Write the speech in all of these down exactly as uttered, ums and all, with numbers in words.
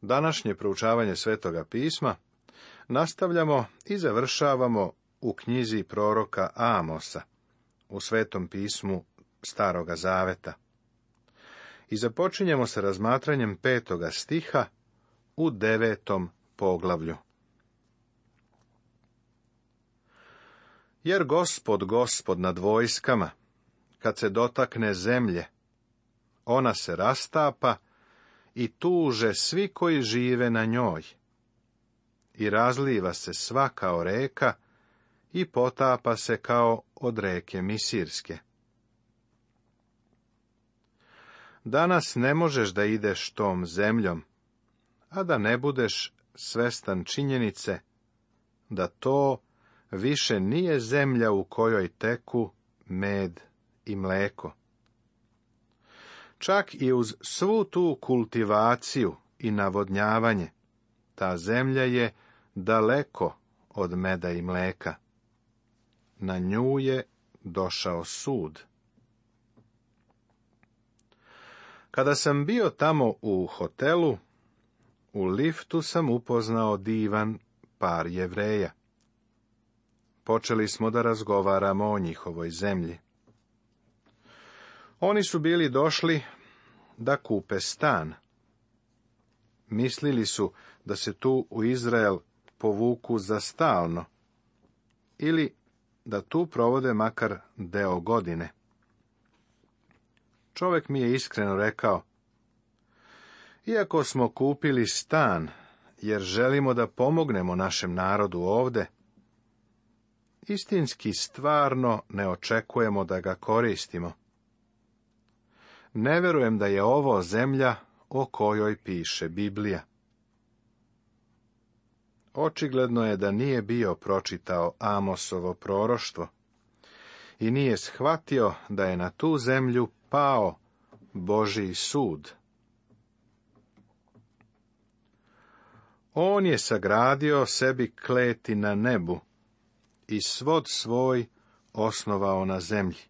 Današnje proučavanje Svetoga pisma nastavljamo i završavamo u knjizi proroka Amosa, u Svetom pismu Staroga Zaveta. I započinjemo sa razmatranjem petoga stiha u devetom poglavlju. Jer Gospod, Gospod nad vojskama, kad se dotakne zemlje, ona se rastapa i tuže svi koji žive na njoj. I razliva se sva kao reka i potapa se kao od reke Misirske. Danas ne možeš da ideš tom zemljom, a da ne budeš svestan činjenice da to više nije zemlja u kojoj teku med i mleko. Čak i uz svu tu kultivaciju i navodnjavanje, ta zemlja je daleko od meda i mleka. Na nju je došao sud. Kada sam bio tamo u hotelu, u liftu sam upoznao divan par Jevreja. Počeli smo da razgovaramo o njihovoj zemlji. Oni su bili došli da kupe stan. Mislili su da se tu u Izrael povuku za stalno, ili da tu provode makar deo godine. Čovjek mi je iskreno rekao: iako smo kupili stan, jer želimo da pomognemo našem narodu ovde, istinski stvarno ne očekujemo da ga koristimo. Ne verujem da je ovo zemlja o kojoj piše Biblija. Očigledno je da nije bio pročitao Amosovo proroštvo i nije shvatio da je na tu zemlju pao Božji sud. On je sagradio sebi kleti na nebu i svod svoj osnovao na zemlji.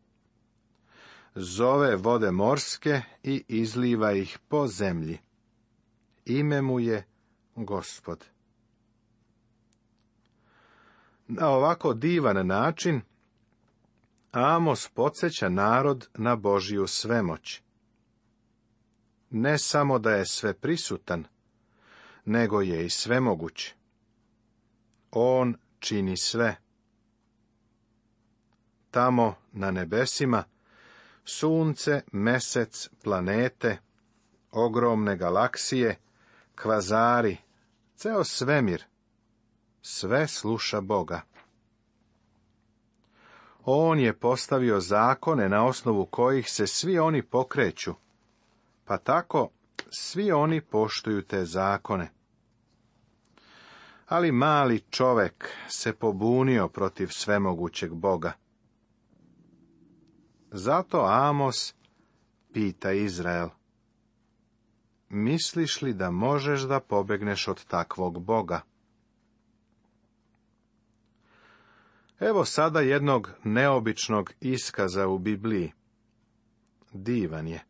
Zove vode morske i izliva ih po zemlji. Ime mu je Gospod. Na ovako divan način Amos podsjeća narod na Božju svemoć. Ne samo da je sveprisutan, nego je i svemoguć. On čini sve. Tamo na nebesima sunce, mesec, planete, ogromne galaksije, kvazari, ceo svemir, sve sluša Boga. On je postavio zakone na osnovu kojih se svi oni pokreću, pa tako svi oni poštuju te zakone. Ali mali čovek se pobunio protiv svemogućeg Boga. Zato Amos pita Izrael: misliš li da možeš da pobegneš od takvog Boga? Evo sada jednog neobičnog iskaza u Bibliji. Divan je.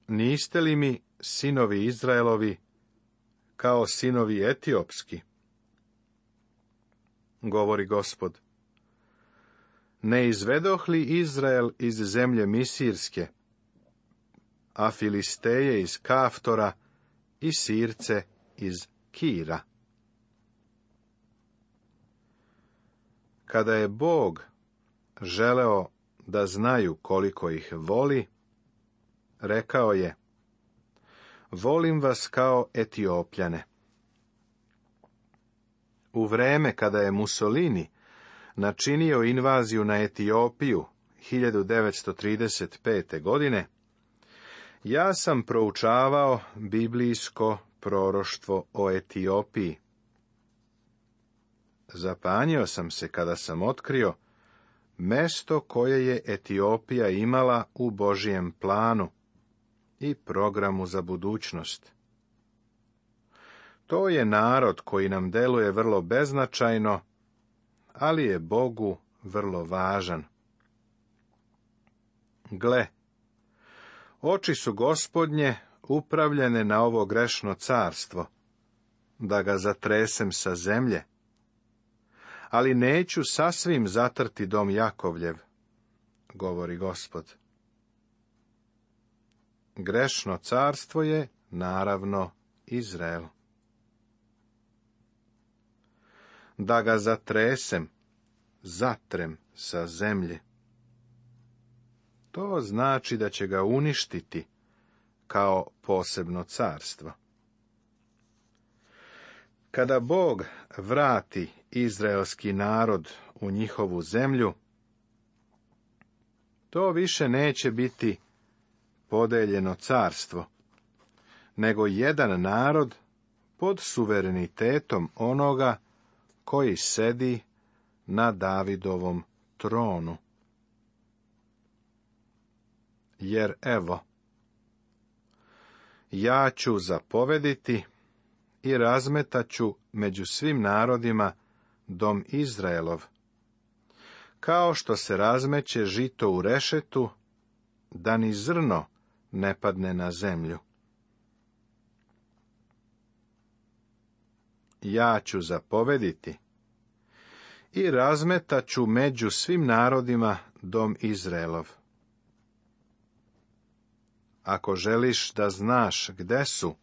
Niste li mi, sinovi Izraelovi, kao sinovi etiopski? Govori Gospod. Ne izvedoh li Izrael iz zemlje Misirske, a Filisteje iz Kaftora i Sirce iz Kira? Kada je Bog želeo da znaju koliko ih voli, rekao je: volim vas kao Etiopljane. U vreme kada je Mussolini načinio invaziju na Etiopiju hiljadu devetsto trideset pete. godine, ja sam proučavao biblijsko proroštvo o Etiopiji. Zapanjio sam se kada sam otkrio mesto koje je Etiopija imala u Božijem planu i programu za budućnost. To je narod koji nam deluje vrlo beznačajno, ali je Bogu vrlo važan. Gle, oči su Gospodnje upravljene na ovo grešno carstvo, da ga zatresem sa zemlje, ali neću sasvim zatrti dom Jakovljev, govori Gospod. Grešno carstvo je, naravno, Izrael. Da ga zatresem, zatrem sa zemlje. To znači da će ga uništiti kao posebno carstvo. Kada Bog vrati izraelski narod u njihovu zemlju, to više neće biti podeljeno carstvo, nego jedan narod pod suverenitetom onoga koji sedi na Davidovom tronu. Jer evo, ja ću zapovediti i razmetaću među svim narodima dom Izraelov, kao što se razmeće žito u rešetu, da ni zrno ne padne na zemlju. Ja ću zapovediti i razmetaću među svim narodima dom Izraelov. Ako želiš da znaš gde su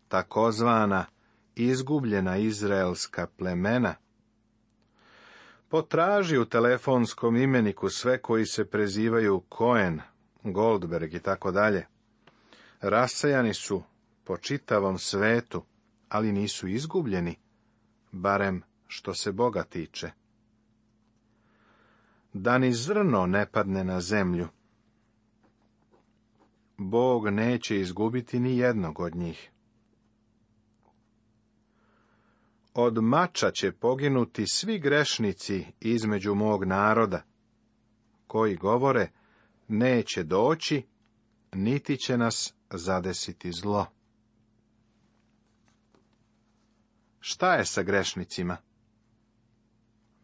takozvana izgubljena izraelska plemena, potraži u telefonskom imeniku sve koji se prezivaju Cohen, Goldberg i tako dalje. Rasejani su po čitavom svetu, ali nisu izgubljeni, barem što se Boga tiče. Da ni zrno ne padne na zemlju, Bog neće izgubiti ni jednog od njih. Od mača će poginuti svi grešnici između mog naroda, koji govore, neće doći, niti će nas zadesiti zlo. Šta je sa grešnicima?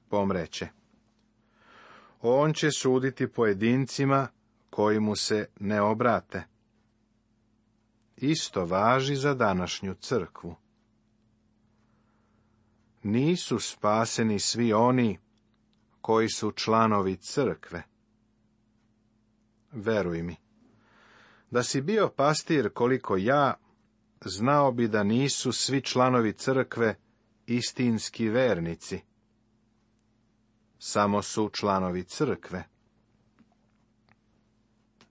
Pomreće. On će suditi pojedincima koji mu se ne obrate. Isto važi za današnju crkvu. Nisu spaseni svi oni koji su članovi crkve. Veruj mi, da si bio pastir koliko ja, znao bi da nisu svi članovi crkve istinski vernici. Samo su članovi crkve.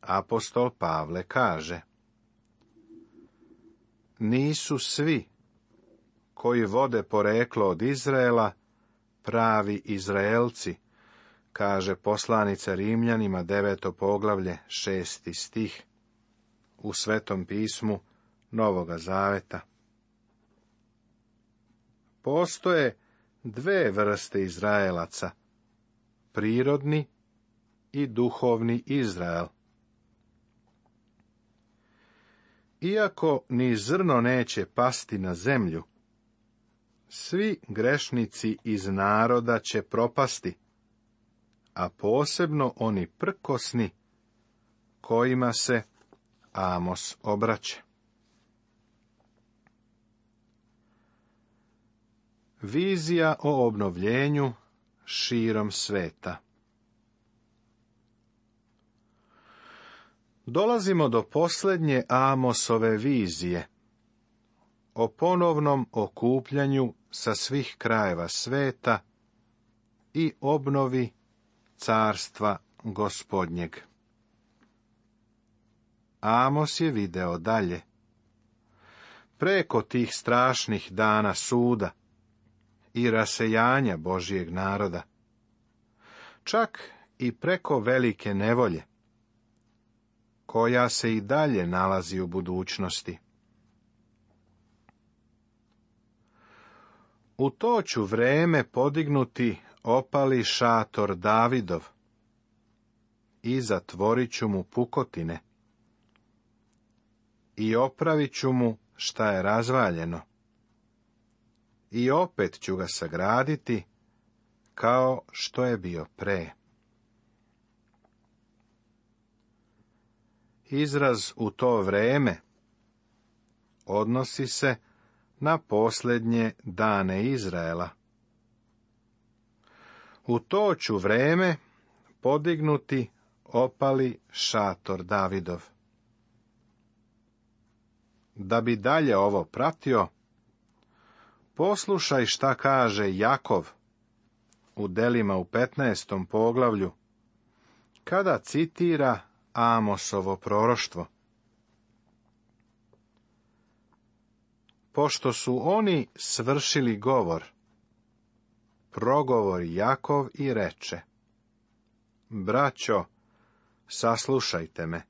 Apostol Pavle kaže: nisu svi koji vode poreklo od Izraela pravi Izraelci, kaže poslanica Rimljanima, deveto poglavlje, šesti stih, u Svetom pismu Novoga Zaveta. Postoje dve vrste Izraelaca, prirodni i duhovni Izrael. Iako ni zrno neće pasti na zemlju, svi grešnici iz naroda će propasti, a posebno oni prkosni kojima se Amos obraća. Vizija o obnovljenju širom sveta. Dolazimo do posljednje Amosove vizije o ponovnom okupljanju sa svih krajeva sveta i obnovi carstva Gospodnjeg. Amos je video dalje. Preko tih strašnih dana suda i rasejanja Božjeg naroda, čak i preko velike nevolje, koja se i dalje nalazi u budućnosti. U to ću vreme podignuti opali šator Davidov i zatvorit ću mu pukotine i opravit ću mu šta je razvaljeno i opet ću ga sagraditi kao što je bio pre. Izraz u to vreme odnosi se na posljednje dane Izraela. U to ću vreme podignuti opali šator Davidov. Da bi dalje ovo pratio, poslušaj šta kaže Jakov u Delima u petnaestom poglavlju, kada citira Amosovo proroštvo. Pošto su oni svršili govor, progovori Jakov i reče: Braćo, saslušajte me.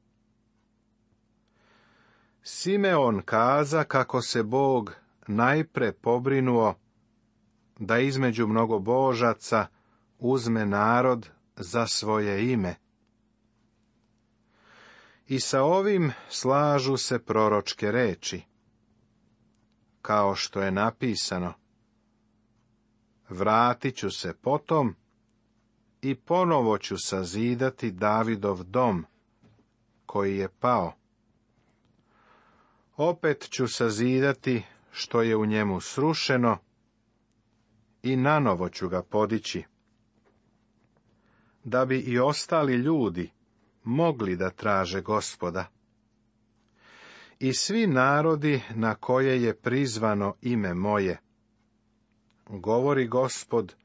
Simeon kaza kako se Bog najpre pobrinuo da između mnogobožaca uzme narod za svoje ime. I sa ovim slažu se proročke reči, kao što je napisano: Vratit ću se potom i ponovo ću sazidati Davidov dom, koji je pao. Opet ću sazidati što je u njemu srušeno i nanovo ću ga podići, da bi i ostali ljudi mogli da traže Gospoda. I svi narodi na koje je prizvano ime moje, govori Gospod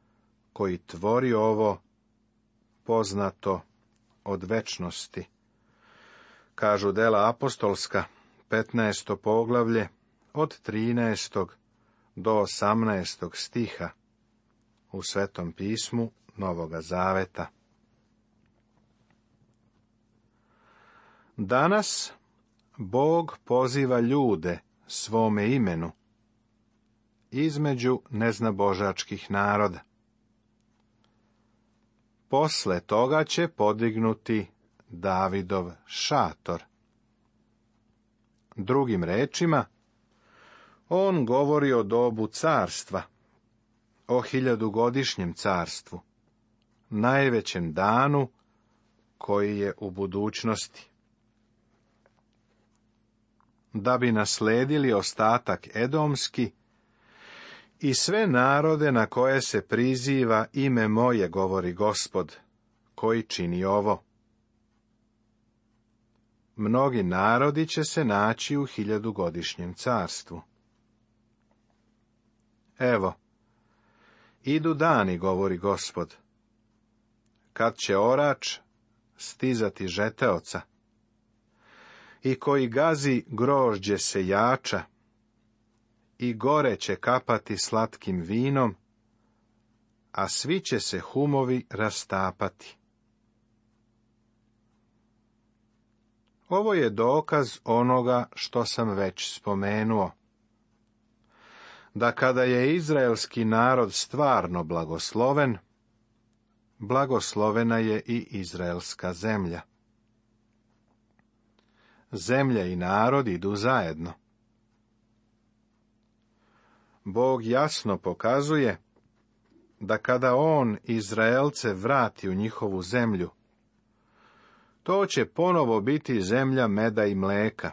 koji tvori ovo, poznato od večnosti. Kažu Dela apostolska, petnaesto poglavlje, od trinaestog do osamnaestog stiha u Svetom pismu Novoga Zaveta. Danas Bog poziva ljude svome imenu između neznabožačkih naroda. Posle toga će podignuti Davidov šator. Drugim rečima, on govori o dobu carstva, o hiljadugodišnjem carstvu, najvećem danu koji je u budućnosti. Da bi nasledili ostatak edomski i sve narode na koje se priziva ime moje, govori Gospod, koji čini ovo. Mnogi narodi će se naći u hiljadugodišnjem carstvu. Evo, idu dani, govori Gospod, kad će orač stizati žeteoca i koji gazi grožđe sejača i gore će kapati slatkim vinom, a svi će se humovi rastapati. Ovo je dokaz onoga što sam već spomenuo, da kada je izraelski narod stvarno blagosloven, blagoslovena je i izraelska zemlja. Zemlja i narod idu zajedno. Bog jasno pokazuje da kada on Izraelce vrati u njihovu zemlju, to će ponovo biti zemlja meda i mleka.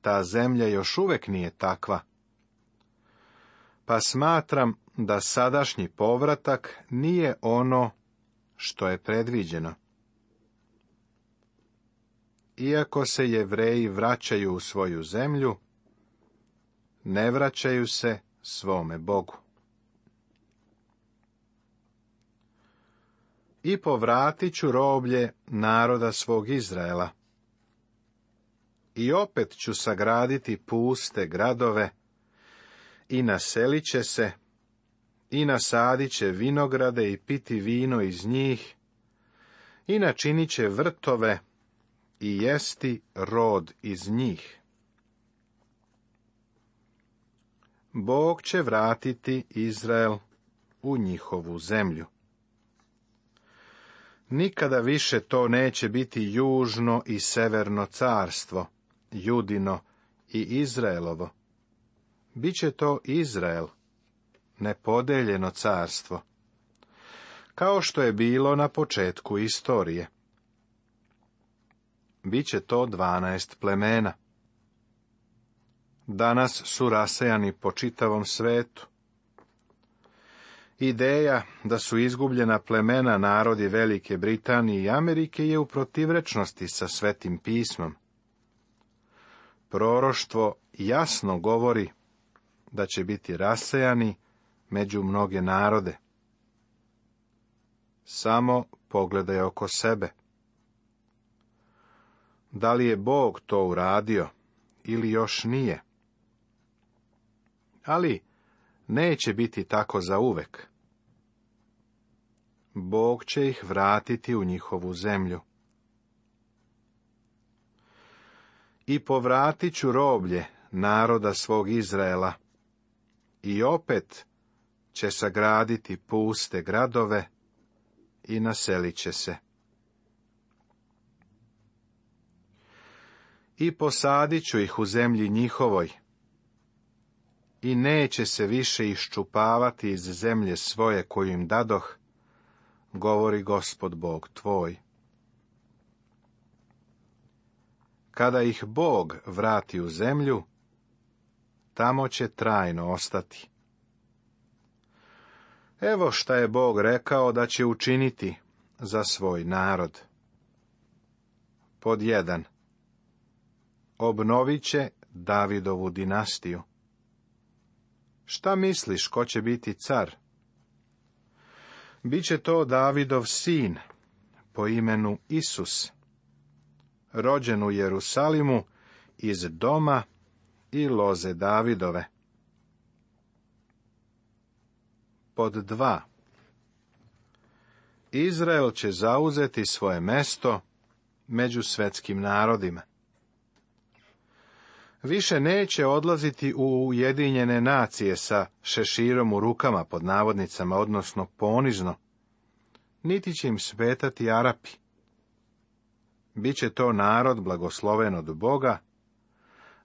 Ta zemlja još uvek nije takva, pa smatram da sadašnji povratak nije ono što je predviđeno. Iako se Jevreji vraćaju u svoju zemlju, ne vraćaju se svome Bogu. I povratit ću roblje naroda svog Izraela. I opet ću sagraditi puste gradove, i naselit će se, i nasadit će vinograde i piti vino iz njih, i načinit će vrtove i jesti rod iz njih. Bog će vratiti Izrael u njihovu zemlju. Nikada više to neće biti južno i severno carstvo, Judino i Izraelovo. Biće to Izrael, nepodeljeno carstvo, kao što je bilo na početku istorije. Biće to dvanaest plemena. danas su rasejani po čitavom svetu. Ideja da su izgubljena plemena narodi Velike Britanije i Amerike je u protivrečnosti sa Svetim pismom. Proroštvo jasno govori da će biti rasejani među mnoge narode. Samo pogledaj oko sebe. Da li je Bog to uradio ili još nije? Ali neće biti tako zauvek. Bog će ih vratiti u njihovu zemlju. I povratit ću roblje naroda svog Izraela, i opet će sagraditi puste gradove i naselit će se. I posadit ću ih u zemlji njihovoj, i neće se više iščupavati iz zemlje svoje koju im dadoh, govori Gospod Bog tvoj. Kada ih Bog vrati u zemlju, tamo će trajno ostati. Evo šta je Bog rekao da će učiniti za svoj narod. Pod jedan. Obnovit će Davidovu dinastiju. Šta misliš, ko će biti car? Biće to Davidov sin, po imenu Isus, rođen u Jerusalimu iz doma i loze Davidove. Pod dva. Izrael će zauzeti svoje mesto među svetskim narodima. Više neće odlaziti u Ujedinjene nacije sa šeširom u rukama, pod navodnicama, odnosno ponizno, niti će im smetati Arapi. Biće to narod blagosloven od Boga,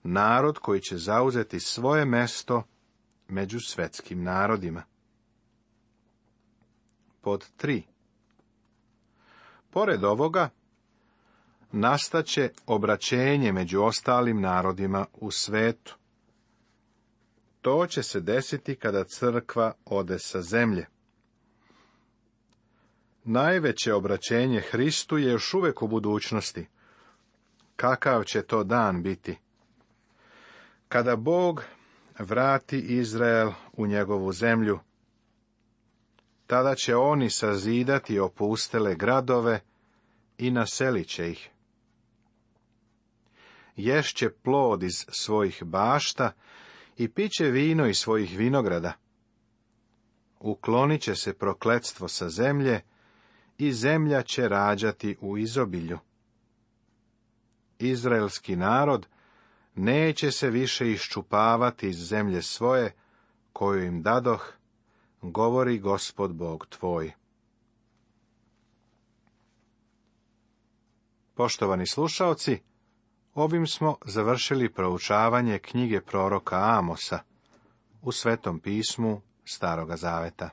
narod koji će zauzeti svoje mesto među svetskim narodima. Pod tri. Pored ovoga, nastaće obraćenje među ostalim narodima u svetu. To će se desiti kada crkva ode sa zemlje. Najveće obraćenje Hristu je još uvijek u budućnosti. Kakav će to dan biti? Kada Bog vrati Izrael u njegovu zemlju, tada će oni sazidati opustele gradove i naselit će ih. Ješće plod iz svojih bašta i piće vino iz svojih vinograda. Uklonit će se prokletstvo sa zemlje i zemlja će rađati u izobilju. Izraelski narod neće se više iščupavati iz zemlje svoje, koju im dadoh, govori Gospod Bog tvoj. Poštovani slušaoci, ovim smo završili proučavanje knjige proroka Amosa u Svetom pismu Staroga Zaveta.